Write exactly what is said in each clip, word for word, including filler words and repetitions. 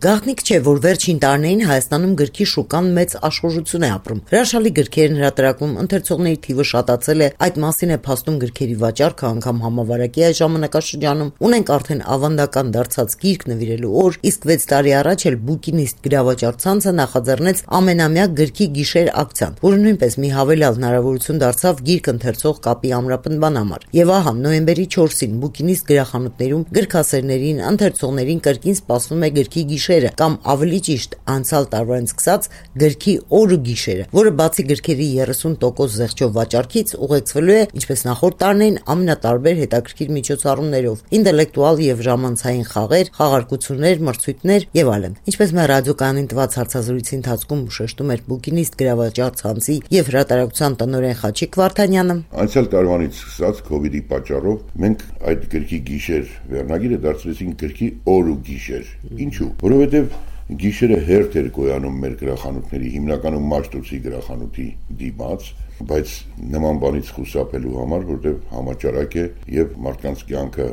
Գաղտնիք չէ, որ վերջին տարիներին Հայաստանում գրքի շուկան մեծ աշխուժություն է ապրում։ Հրաշալի գրքեր են հրատարակվում, ընթերցողների թիվը շատացել է, այդ մասին է փաստում գրքերի վաճառքը, անգամ համավարակի այս ժամանակաշրջանում ունենք արդեն ավանդական դարձած գիրք նվիրելու օր, իսկ վեց տարի առաջ էլ Բուկինիստ գրավաճառ ցանցը նախաձեռնեց ամենամյա գրքի գիշեր ակցիան, որը նույնպես մի հավելյալ հնարավորություն դարձավ գիրք ընթերցող կապի ամրապնդման համար։ Եվ ահա նոյեմբերի չորսին Բուկինիստ գրախանութներում գրքասերներին, ընթերցողներին կրկին սպասվում է գրքի գիշերը, կամ ավելի ճիշտ անցյալ տարվանից սկսած գրքի օր ու գիշերը, որը բացի գրքերի երեսուն տոկոս զեղչով վաճառքից ուղեկցվելու է, ինչպես նախորդ տարիներին, ամենատարբեր հետաքրքիր միջոցառումներով, ինտելեկտուալ եւ ժամանցային խաղեր, խաղարկություններ, մրցույթներ եւ այլն։ Ինչպես մեր ռադիոկայանին տված հարցազրույցի ընթացքում շեշտում էր Բուկինիստ գրավաճառ ցանցի եւ հրատարակության տնօրեն Խաչիկ Վարդանյանը, անցյալ տարվանից սկսած կոവിഡ്ի պատճառով մենք այդ գրքի գիշեր վերնագիրը դարձրեցինք գրքի օր ու գիշեր։ Ինչու՞։ Որովհետև գիշերը հերթ էր գոյանում մեր գրախանութների, հիմնականում Մաշտոցի գրախանութի դիմաց, բայց նման բանից խուսափելու համար, որտեղ համաճարակ է եւ մարդկանց կյանքը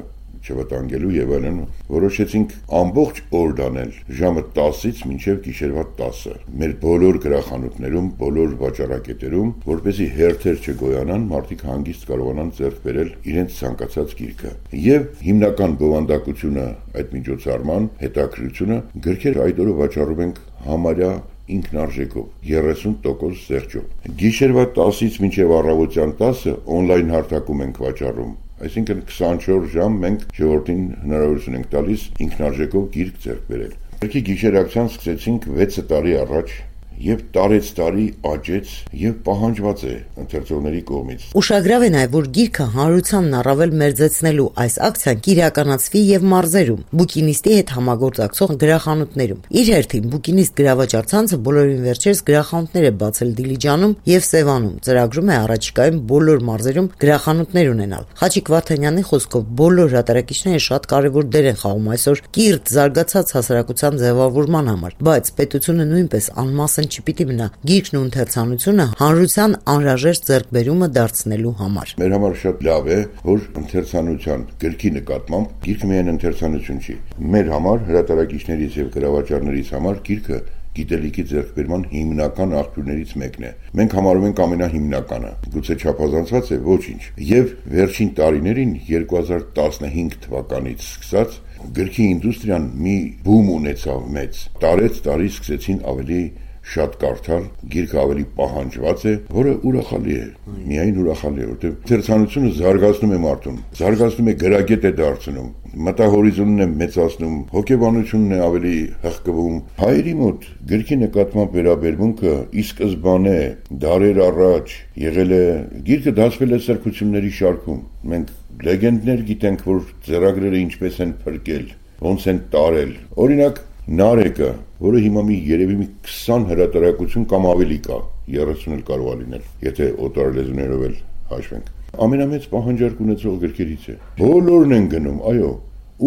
չվտանգելու եւ այլն, որոշեցինք ամբողջ օր դանել ժամը տասից մինչեւ գիշերվա տասը մեր բոլոր գրախանութներում, բոլոր վաճառակետերում, որպեսզի հերթեր չգոյանան, մարդիկ հանգիստ կարողանան ձեռք բերել իրենց ցանկացած գիրքը։ Եվ հիմնական բովանդակությունը այդ միջոցառման հետաքրքրությունը գրքեր այդ օրը վաճառում ենք համարյա ինքնարժեքով երեսուն տոկոս զեղչով։ Գիշերվա տասից մինչև առավոտյան տասը օնլայն հարթակում ենք վաճառում, այսինքն քսանչորս ժամ մենք ժողովրդին հնարավորություն ենք տալիս ինքնարժեքով գիրք ձեռք բերել։ Գրքի գիշեր ակցիան սկսեցինք վեց տարի առաջ եւ տարեց տարի աճեց եւ պահանջված է ընթերցողների կողմից։ Ուշագրավ է նաեւ, որ գիրքը հանրությանն առավել մերձեցնելու այս ակցիան կիրականացվի եւ մարզերում, Բուկինիստի հետ համագործակցող գրախանութներում։ Իր հերթին Բուկինիստ գրավաճառ ցանցը բոլորին վերջերս գրախանութներ է բացել Դիլիջանում եւ Սևանում, ծրագրում է առաջիկայում բոլոր մարզերում գրախանութներ ունենալ։ Խաչիկ Վարդանյանի խոսքով բոլոր հրատարակիչները շատ կարեւոր դեր են խաղում այսօր կիրթ զարգացած հասարակության ձևավորման համար, բայց պետությունը նույնպես անմասն չպիտի մնա գիրքն ու ընթերցանությունը հանրության անհրաժեշտ ձեռքբերումը դարձնելու համար։ Մեր համար շատ լավ է, որ ընթերցանության գրքի նկատմամբ գիրքը միայն ընթերցանություն չի։ Մեր համար հրատարակիչներից եւ գրավաճառներից համար գիրքը գիտելիքի ձեռքբերման հիմնական աղբյուրներից մեկն է։ Մենք համարում ենք ամենահիմնականը, գուցե չափազանցված է, ոչինչ։ Եվ վերջին տարիներին երկու հազար տասնհինգ թվականից սկսած գրքի ինդուստրիան մի բում ունեցավ մեծ։ Տարեց տարի սկսեցին ավելի շատ կարդալ, գիրքը ավելի պահանջված է, որը ուրախալի է, միայն ուրախալի է, որտեղ ընթերցանությունը զարգացնում է մարդուն, զարգացնում է գրագետ է դարձնում, մտահորիզոնն է մեծացնում, հոգեբանությունն է ավելի հղկվում։ Հայերի մոտ գրքի նկատմամբ վերաբերմունքը ի սկզբանե դարեր առաջ եղել է, գիրքը դասվել է սրբությունների շարքում։ Մենք լեգենդներ գիտենք, որ ձեռագրերը ինչպես են փրկել, ոնց են տարել։ Օրինակ Նարեկը, որը հիմա մի երևի մի քսան հրատարակություն կամ ավելի կա, երեսուն էլ կարող է լինել, եթե օտար լեզուներով էլ հաշվենք։ Ամենամեծ պահանջարկ ունեցող գրքերից է։ Բոլորն են գնում, այո,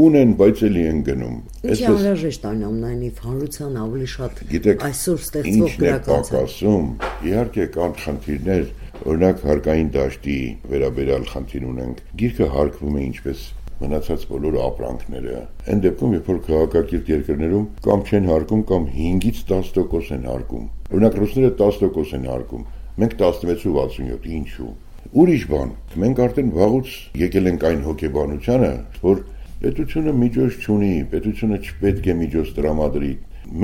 ունեն, բայց էլի են գնում։ Ինչի անհրաժեշտ այն ամենայնիվ հանրության ավելի շատ այսօր ստեղծվող գրականություն։ Իհարկե կան խնդիրներ, օրինակ հարկային դաշտի վերաբերյալ խնդիր ունենք։ Գիրքը հարկվում է ինչպես մնացած բոլոր ապրանքները։ Այն դեպքում, երբ որ քաղաքակիրթ երկրներում կամ չեն հարկում, կամ հինգից դաս տոկոս են հարկում։ Օրինակ ռուսները դաս տոկոս են հարկում, մենք տասնվեց ու վաթսունյոթ, ինչու։ Ուրիշ բան, մենք արդեն վաղուց եկել ենք այն հոգեբանությանը, որ պետությունը միջոց չունի, պետությունը չպետք է միջոց տրամադրի։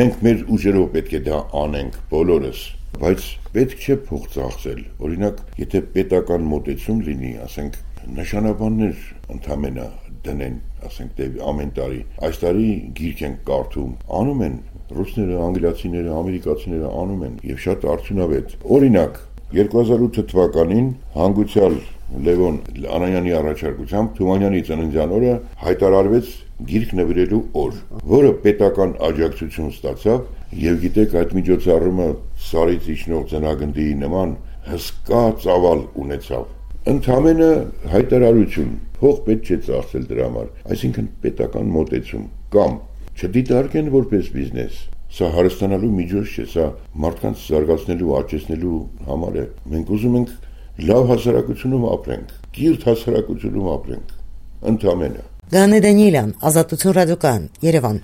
Մենք մեր ուժերով պետք է դա անենք բոլորս, բայց պետք չէ փող ծախսել։ Օրինակ, եթե պետական մոտեցում լինի, ասենք նշանաբաններ ընդամենը դնեն, ասենք դե ամեն տարի, այս տարի գիրք են կարդում, անում են ռուսները, անգլիացիները, ամերիկացիները անում են եւ շատ արդյունավետ։ Օրինակ, երկու հազար ութ թվականին հանգուցյալ Լևոն Անանյանի առաջարկությամբ Թումանյանի ծննդյան օրը հայտարարվեց գիրք նվիրելու օր, որը պետական աջակցություն ստացավ եւ գիտեք այդ միջոցառումը սարից իջնող ծնագնդի նման հսկա ծավալ ունեցավ։ Ընդամենը հայտարարություն, փող պետք չէ ծախսել դրա համար, այսինքն պետական մոտեցում կամ չդիտարկեն որպես բիզնես։ Սա հարստանալու միջոց չէ, սա մարդկանց զարգացնելու, աճեցնելու համար է։ Մենք ուզում ենք լավ հասարակությունում ապրենք, կիրթ հասարակությունում ապրենք, ընդամենը։ Գանե Դանիելյան, Ազատություն ռադիոկայան, Երևան։